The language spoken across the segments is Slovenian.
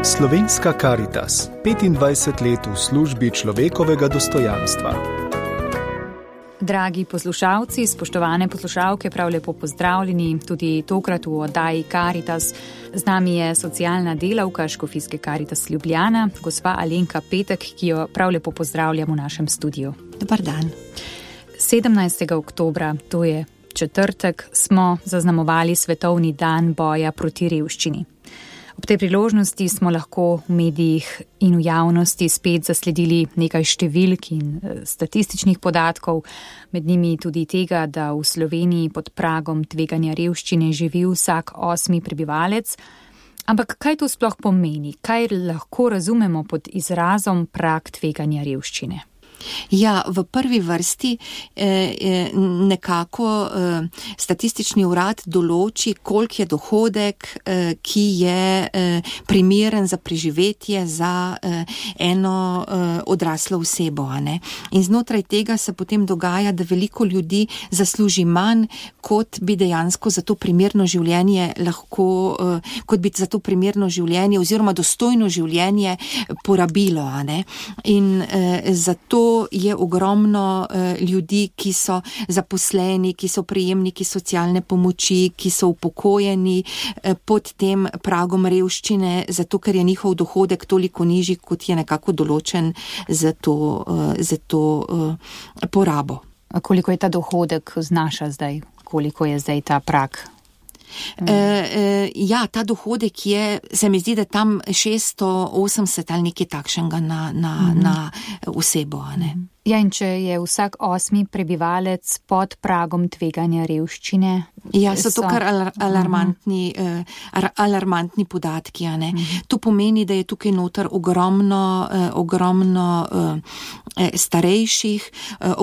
Slovenska Karitas, 25 let v službi človekovega dostojanstva. Dragi poslušalci, spoštovane poslušalke, prav lepo pozdravljeni tudi tokrat v oddaji Karitas. Z nami je socialna delavka Škofijske Karitas Ljubljana, gospa Alenka Petek, ki jo prav lepo pozdravljam v našem studiu. Dobar dan. 17. oktobra, to je četrtek, smo zaznamovali Svetovni dan boja proti revščini. Ob tej priložnosti smo lahko v medijih in v javnosti spet zasledili nekaj številk in statističnih podatkov, med njimi tudi tega, da v Sloveniji pod pragom tveganja revščine živi vsak 8. prebivalec. Ampak kaj to sploh pomeni? Kaj lahko razumemo pod izrazom prag tveganja revščine? Ja, v prvi vrsti nekako statistični urad določi, koliko je dohodek, ki je primeren za preživetje za eno odraslo osebo. Ne? In znotraj tega se potem dogaja, da veliko ljudi zasluži manj, kot bi dejansko za to primerno življenje lahko, kot bi za to primerno življenje oziroma dostojno življenje porabilo. Ne? In zato je ogromno ljudi, ki so zaposleni, ki so prejemniki socialne pomoči, ki so upokojeni pod tem pragom revščine, zato ker je njihov dohodek toliko nižji, kot je nekako določen za to porabo. A koliko je ta dohodek znaša zdaj? Koliko je zdaj ta prag? Ja, ta dohodek je, se mi zdi, da tam 680 ali nekaj takšnega na osebo. Ne? Ja, in če je vsak 8. prebivalec pod pragom tveganja revščine? Ja, so to kar alarmantni podatki. Ne? To pomeni, da je tukaj noter ogromno starejših,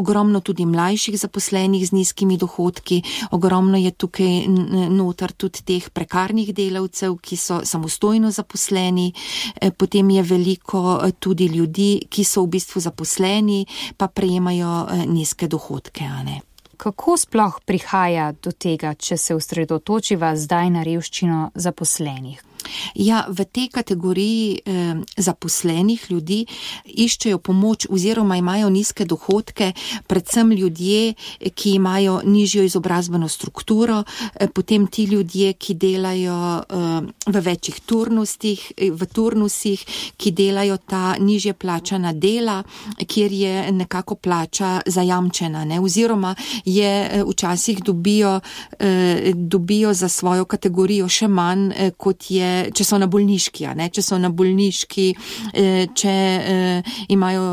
ogromno tudi mlajših zaposlenih z nizkimi dohodki, ogromno je tukaj noter tudi teh prekarnih delavcev, ki so samostojno zaposleni, potem je veliko tudi ljudi, ki so v bistvu zaposleni, pa prejemajo nizke dohodke. Ne? Kako sploh prihaja do tega, če se osredotočiva zdaj na revščino zaposlenih? Ja, v tej kategoriji zaposlenih ljudi iščejo pomoč oziroma imajo nizke dohodke, predvsem ljudje, ki imajo nižjo izobrazbeno strukturo, potem ti ljudje, ki delajo v večjih turnusih, ki delajo ta nižje plačana dela, kjer je nekako plača zajamčena, ne? Oziroma je včasih dobijo za svojo kategorijo še manj, kot je če so na bolniški, če imajo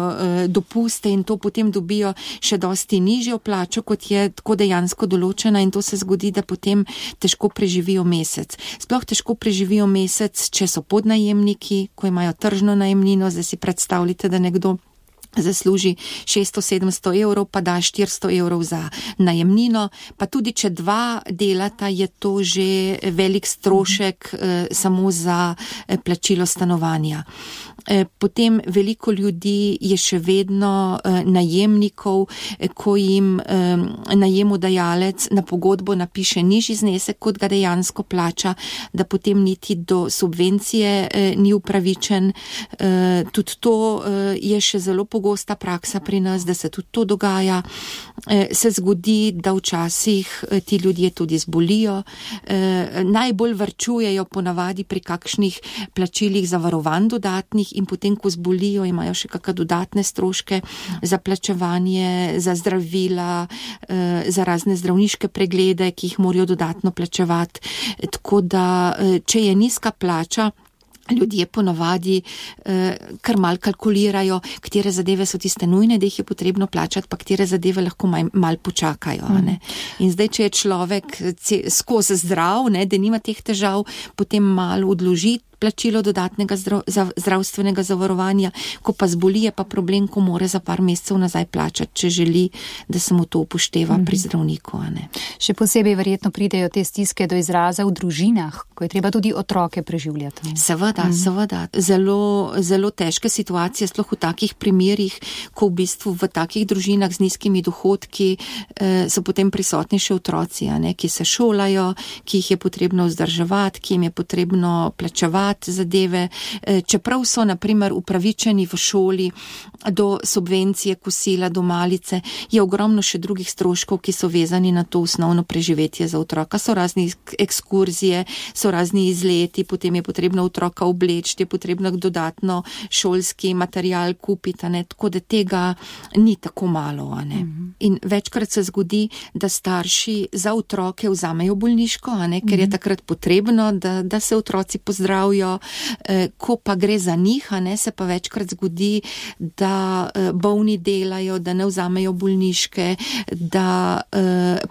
dopuste in to potem dobijo še dosti nižjo plačo, kot je tako dejansko določena, in to se zgodi, da potem težko preživijo mesec. Sploh težko preživijo mesec, če so podnajemniki, ko imajo tržno najemnino. Zdaj si predstavljate, da nekdo zasluži 600-700 evrov, pa da 400 evrov za najemnino, pa tudi če dva delata, je to že velik strošek samo za plačilo stanovanja. Potem veliko ljudi je še vedno najemnikov, ko jim najemodajalec na pogodbo napiše nižji znesek, kot ga dejansko plača, da potem niti do subvencije ni upravičen. Tudi to je še zelo pogosta praksa pri nas, da se tudi to dogaja. Se zgodi, da včasih ti ljudje tudi zbolijo. Najbolj varčujejo ponavadi pri kakšnih plačilih zavarovanj dodatnih, in potem, ko zbolijo, imajo še kakšne dodatne stroške za plačevanje, za zdravila, za razne zdravniške preglede, ki jih morajo dodatno plačevati. Tako da, če je nizka plača, ljudje ponavadi kar mal kalkulirajo, katere zadeve so tiste nujne, da jih je potrebno plačati, pa katere zadeve lahko mal počakajo. Ne? In zdaj, če je človek skozi zdrav, ne, da nima teh težav, potem malo odloži plačilo dodatnega zdravstvenega zavarovanja, ko pa zboli, je pa problem, ko mora za par mesecev nazaj plačati, če želi, da se mu to upošteva pri zdravniku. Ne? Še posebej verjetno pridejo te stiske do izraza v družinah, ko je treba tudi otroke preživljati. Seveda. Zelo, zelo težke situacije, sploh v takih primerih, ko v bistvu v takih družinah z nizkimi dohodki so potem prisotni še otroci, ne? Ki se šolajo, ki jih je potrebno vzdrževati, ki jim je potrebno plačevati, plačevati zadeve, čeprav so naprimer upravičeni v šoli do subvencije kosila, do malice, je ogromno še drugih stroškov, ki so vezani na to osnovno preživetje za otroka. So razni ekskurzije, so razni izleti, potem je potrebno otroka obleči, je potrebno dodatno šolski material kupiti, tako da tega ni tako malo. In večkrat se zgodi, da starši za otroke vzamejo bolniško, ker je takrat potrebno, da se otroci pozdravijo, ko pa gre za njih, se pa večkrat zgodi, da bolni delajo, da ne vzamejo bolniške, da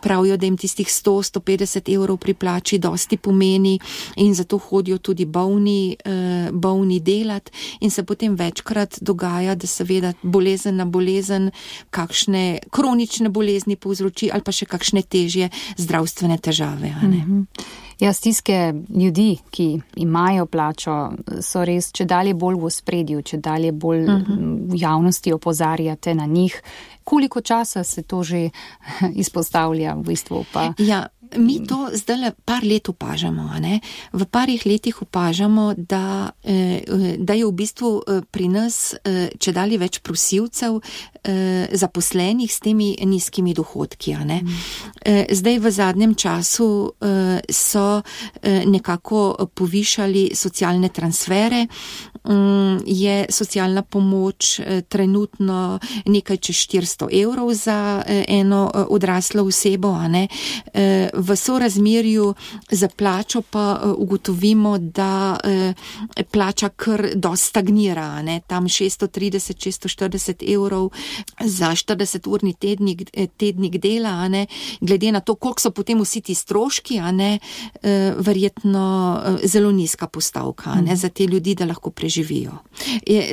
pravijo, da jim tistih 100-150 evrov pri plači dosti pomeni in zato hodijo tudi bolni delat in se potem večkrat dogaja, da seveda bolezen na bolezen, kakšne kronične bolezni povzroči ali pa še kakšne težje zdravstvene težave. Ja, stiske ljudi, ki imajo plačo, so res čedalje bolj v ospredju, čedalje bolj v javnosti opozarjate na njih. Koliko časa se to že izpostavlja v bistvu pa? Ja, mi to zdaj par let opažamo. V parih letih opažamo, da je v bistvu pri nas čedalje več prosilcev zaposlenih s temi nizkimi dohodki. Zdaj v zadnjem času so nekako povišali socialne transfere, je socialna pomoč trenutno nekaj čez 400 evrov za eno odraslo osebo, v sorazmerju za plačo pa ugotovimo, da plača kar dosti stagnira, tam 630-640 evrov za 40-urni tednik dela, glede na to, koliko so potem vsi ti stroški, verjetno zelo nizka postavka, za te ljudi, da lahko preživijo.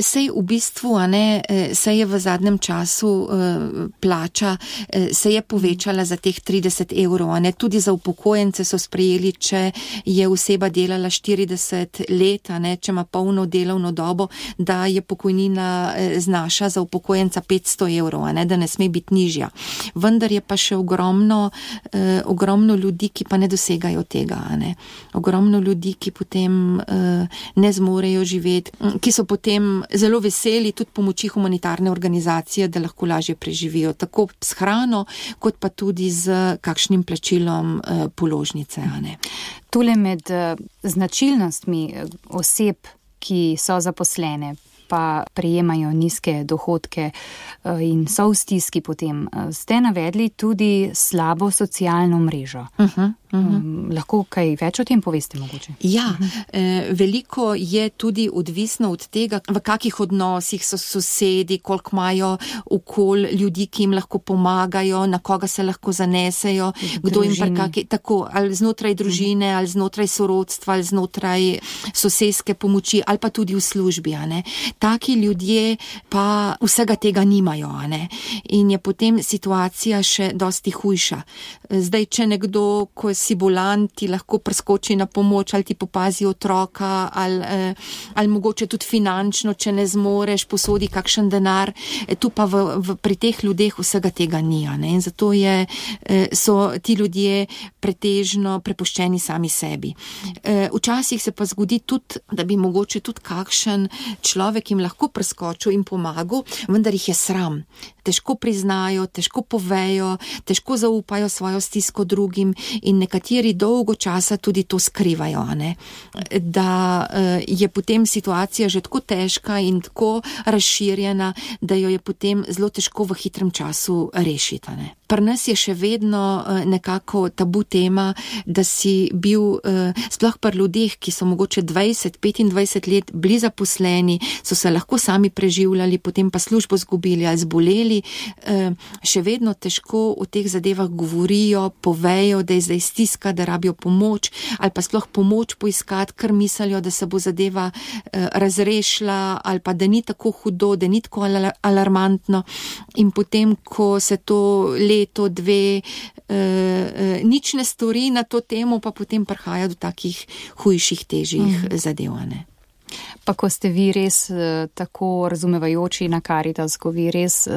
Sej v bistvu, sej je v zadnjem času plača, se je povečala za teh 30 evrov, tudi za upokojence so sprejeli, če je oseba delala 40 let, če ima polno delovno dobo, da je pokojnina znaša za upokojenca 500 evrov, da ne sme biti nižja. Vendar je pa še ogromno ljudi, ki pa ne dosegajo tega. Ogromno ljudi, ki potem ne zmorejo živeti, ki so potem zelo veseli tudi pomoči humanitarne organizacije, da lahko lažje preživijo, tako s hrano, kot pa tudi z kakšnim plačilom položnice. Tule med značilnostmi oseb, ki so zaposlene, pa prejemajo nizke dohodke in so v stiski potem, ste navedli tudi slabo socialno mrežo. Lahko kaj več o tem poveste mogoče? Ja, veliko je tudi odvisno od tega, v kakih odnosih so sosedi, koliko imajo okoli ljudi, ki jim lahko pomagajo, na koga se lahko zanesejo, kdo jim tako, ali znotraj družine, ali znotraj sorodstva, ali znotraj sosedske pomoči, ali pa tudi v službi. Taki ljudje pa vsega tega nimajo. In je potem situacija še dosti hujša. Zdaj, če nekdo, ko si bolan, ti lahko preskoči na pomoč, ali ti popazi otroka, ali mogoče tudi finančno, če ne zmoreš, posodi kakšen denar, tu pa pri teh ljudeh vsega tega ni. In zato so ti ljudje pretežno prepuščeni sami sebi. Včasih se pa zgodi tudi, da bi mogoče tudi kakšen človek jim lahko preskočil in pomagal, vendar jih je sram. Težko priznajo, težko povejo, težko zaupajo svojo stisko drugim in nekateri dolgo časa tudi to skrivajo, da je potem situacija že tako težka in tako razširjena, da jo je potem zelo težko v hitrem času rešiti. Pri nas je še vedno nekako tabu tema, da si bil, sploh pri ljudeh, ki so mogoče 20-25 let bili zaposleni, so se lahko sami preživljali, potem pa službo zgubili ali zboleli, še vedno težko o teh zadevah govorijo, povejo, da je zdaj stiska, da rabijo pomoč, ali pa sploh pomoč poiskati, ker mislijo, da se bo zadeva razrešila, ali pa da ni tako hudo, da ni tako alarmantno. In potem, ko se to leto, dve, nič ne stori na to temo, pa potem prihaja do takih hujših, težjih zadev. Pa ko ste vi res tako razumevajoči na Karitas, ko vi res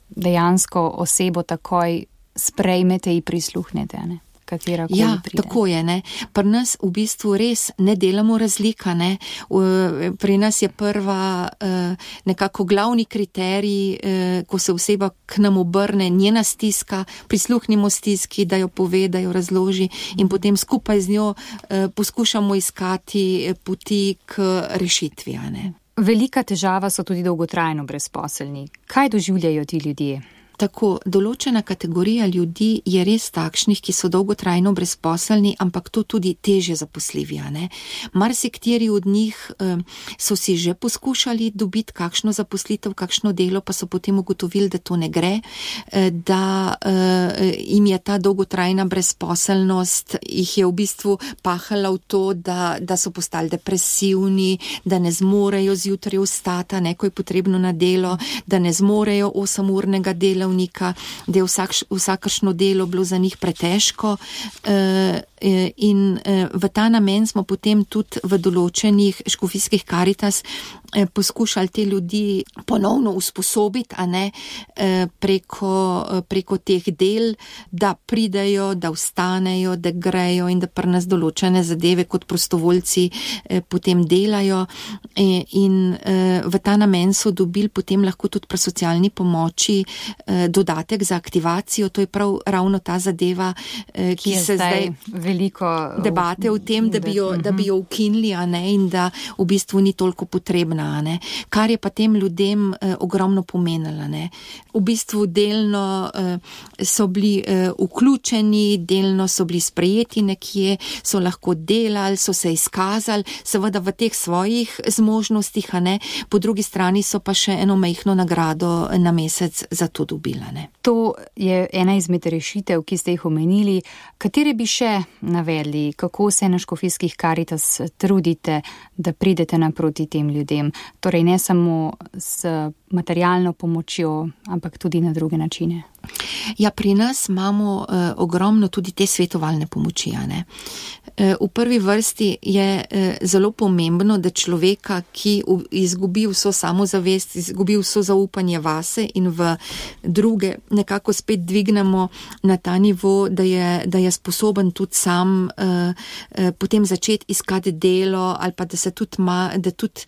dejansko osebo takoj sprejmete in prisluhnete, katera koli pride. Tako je, ne. Pri nas v bistvu res ne delamo razlika, ne. Pri nas je prva nekako glavni kriterij, ko se oseba k nam obrne, njena stiska, prisluhnimo stiski, da jo pove, da jo razloži in potem skupaj z njo poskušamo iskati poti k rešitvi, ne. Velika težava so tudi dolgotrajno brezposelni. Kaj doživljajo ti ljudje? Tako, določena kategorija ljudi je res takšnih, ki so dolgotrajno brezposelni, ampak to tudi težje zaposljivi, ne. Marsikateri od njih so si že poskušali dobiti kakšno zaposlitev, kakšno delo, pa so potem ugotovili, da to ne gre, da jim je ta dolgotrajna brezposelnost, jih je v bistvu pahala v to, da so postali depresivni, da ne zmorejo zjutraj vstati, ne, ko je potrebno na delo, da ne zmorejo 8-urnega dela, da je vsakršno delo bilo za njih pretežko in v ta namen smo potem tudi v določenih škofijskih Karitas poskušali te ljudi ponovno usposobiti, a ne, preko teh del, da pridejo, da vstanejo, da grejo in da pri nas določene zadeve kot prostovoljci potem delajo in v ta namen so dobili potem lahko tudi pri socialni pomoči dodatek za aktivacijo, to je prav ravno ta zadeva, ki se zdaj veliko debate o tem, da bi jo ukinili, a ne, in da v bistvu ni toliko potrebna, a ne. Kar je pa tem ljudem ogromno pomenilo, ne. V bistvu delno so bili vključeni, delno so bili sprejeti nekje, so lahko delali, so se izkazali, seveda v teh svojih zmožnostih, a ne, po drugi strani so pa še eno majhno nagrado na mesec za to dobila, ne. To je ena izmed rešitev, ki ste jih omenili. Katere bi še navedli, kako se na škofijskih Karitas trudite, da pridete naproti tem ljudem? Torej ne samo s materialno pomočjo, ampak tudi na druge načine. Ja, pri nas imamo ogromno tudi te svetovalne pomoči, ne. V prvi vrsti je zelo pomembno, da človeka, ki izgubi vso samozavest, izgubi vso zaupanje vase in v druge nekako spet dvignemo na ta nivo, da je sposoben tudi sam potem začeti iskati delo ali pa da se tudi da tudi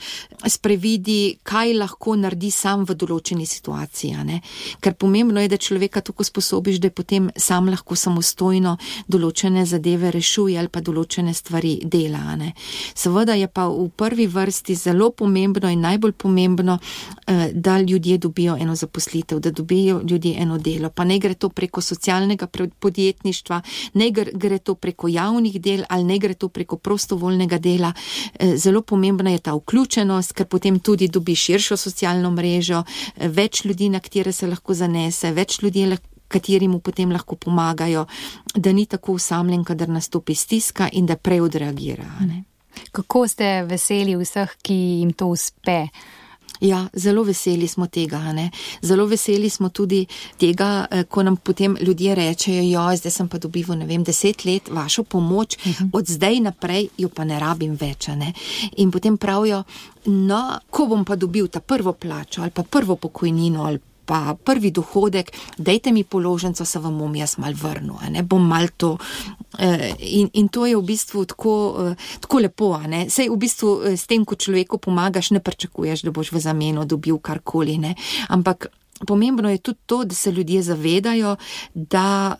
sprevidi, kaj lahko naredi sam v določeni situaciji, ne. Ker pomembno je, da človeka tako sposobiš, da potem sam lahko samostojno določene zadeve rešuje ali pa določene stvari dela, ne. Seveda je pa v prvi vrsti zelo pomembno in najbolj pomembno, da ljudje dobijo eno zaposlitev, da dobijo ljudje eno delo, pa ne gre to preko socialnega podjetništva, ne gre to preko javnih del ali ne gre to preko prostovoljnega dela. Zelo pomembna je ta vključenost, ker potem tudi dobi širšo socialno mrežo, več ljudi, na katere se lahko zanese, več ljudi, kateri mu potem lahko pomagajo, da ni tako osamljen, kadar nastopi stiska in da prej odreagira, ne. Kako ste veseli vseh, ki jim to uspe? Ja, zelo veseli smo tega, ne. Zelo veseli smo tudi tega, ko nam potem ljudje rečejo, zdaj sem pa dobival, 10 let vašo pomoč, od zdaj naprej jo pa ne rabim več, ne. In potem pravijo, no, ko bom pa dobil ta prvo plačo ali pa prvo pokojnino ali pa prvi dohodek, dajte mi položnico, se vam bom jaz mal vrnil, ne, bom mal to. In to je v bistvu tako lepo, ne. Sej v bistvu s tem, ko človeku pomagaš, ne pričakuješ, da boš v zameno dobil karkoli, ne. Ampak pomembno je tudi to, da se ljudje zavedajo, da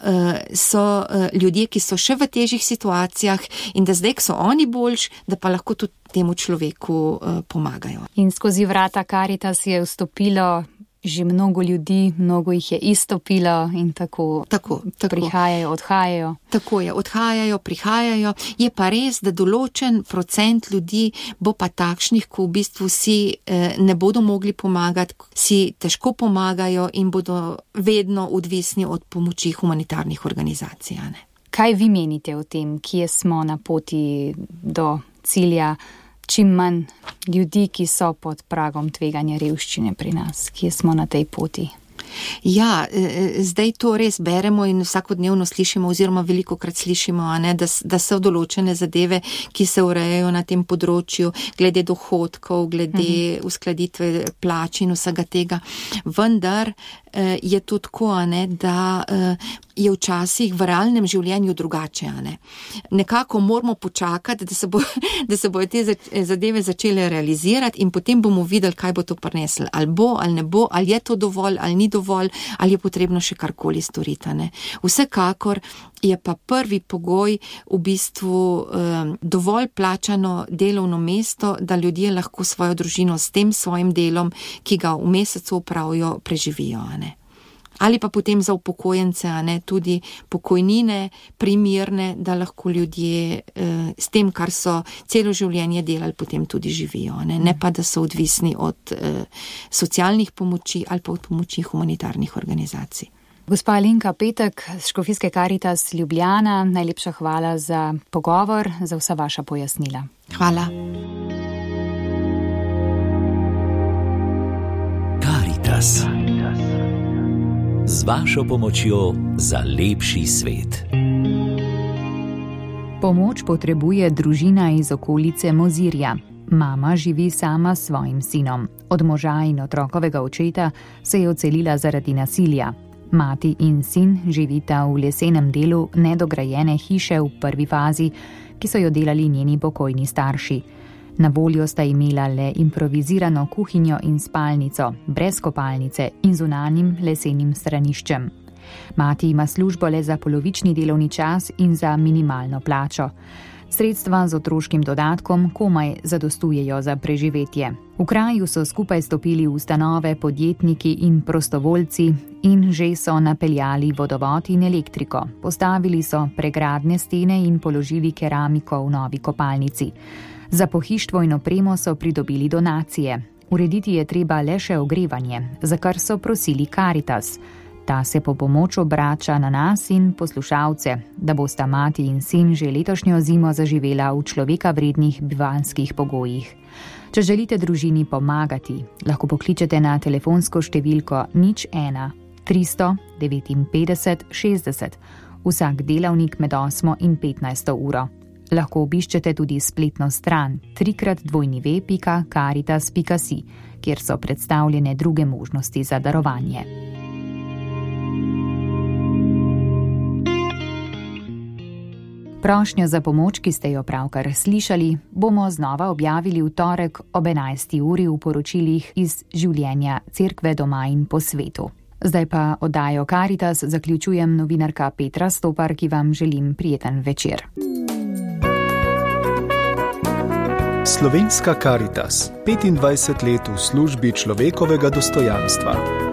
so ljudje, ki so še v težjih situacijah in da zdaj, ko so oni boljši, da pa lahko tudi temu človeku pomagajo. In skozi vrata Karitas je vstopilo že mnogo ljudi, mnogo jih je izstopilo in tako prihajajo, odhajajo. Tako je, odhajajo, prihajajo. Je pa res, da določen procent ljudi bo pa takšnih, ko v bistvu si ne bodo mogli pomagati, si težko pomagajo in bodo vedno odvisni od pomoči humanitarnih organizacij, ne. Kaj vi menite o tem, kje smo na poti do cilja? Čim manj ljudi, ki so pod pragom tveganja revščine pri nas, kje smo na tej poti? Ja, zdaj to res beremo in vsakodnevno slišimo oziroma velikokrat slišimo, ne, da so določene zadeve, ki se urejajo na tem področju, glede dohodkov, glede uskladitve plač in vsega tega. Vendar je to tako, da je včasih v realnem življenju drugače. Nekako moramo počakati, da se bojo te zadeve začele realizirati in potem bomo videli, kaj bo to prineslo. Ali bo, ali ne bo, ali je to dovolj, ali ni dovolj, ali je potrebno še karkoli storiti. Vsekakor je pa prvi pogoj v bistvu dovolj plačano delovno mesto, da ljudje lahko svojo družino s tem svojim delom, ki ga v mesecu opravijo, preživijo. Ali pa potem za upokojence, tudi pokojnine primerne, da lahko ljudje s tem, kar so celo življenje delali, potem tudi živijo. Ne pa, da so odvisni od socialnih pomoči ali pa od pomoči humanitarnih organizacij. Gospa Alenka Petek z Škofijske Karitas Ljubljana, najlepša hvala za pogovor, za vsa vaša pojasnila. Hvala. Karitas. Z vašo pomočjo za lepši svet. Pomoč potrebuje družina iz okolice Mozirja. Mama živi sama s svojim sinom. Od moža in otrokovega očeta se je odselila zaradi nasilja. Mati in sin živita v lesenem delu nedograjene hiše v prvi fazi, ki so jo delali njeni pokojni starši. Na voljo sta imela le improvizirano kuhinjo in spalnico, brez kopalnice in zunanjim lesenim straniščem. Mati ima službo le za polovični delovni čas in za minimalno plačo. Sredstva z otroškim dodatkom komaj zadostujejo za preživetje. V kraju so skupaj stopili ustanove, podjetniki in prostovoljci in že so napeljali vodovod in elektriko. Postavili so pregradne stene in položili keramiko v novi kopalnici. Za pohištvo in opremo so pridobili donacije. Urediti je treba le še ogrevanje, za kar so prosili Karitas. Ta se po pomoč obrača na nas in poslušalce, da bosta mati in sin že letošnjo zimo zaživela v človeka vrednih bivanjskih pogojih. Če želite družini pomagati, lahko pokličete na telefonsko številko 01 359 60, vsak delavnik med 8 in 15 uro. Lahko obiščete tudi spletno stran www.caritas.si, kjer so predstavljene druge možnosti za darovanje. Prošnjo za pomoč, ki ste jo pravkar slišali, bomo znova objavili v torek ob 11. uri v poročilih iz življenja Cerkve doma in po svetu. Zdaj pa oddajo Karitas zaključujem novinarka Petra Stopar, ki vam želim prijeten večer. Slovenska Karitas, 25 let v službi človekovega dostojanstva.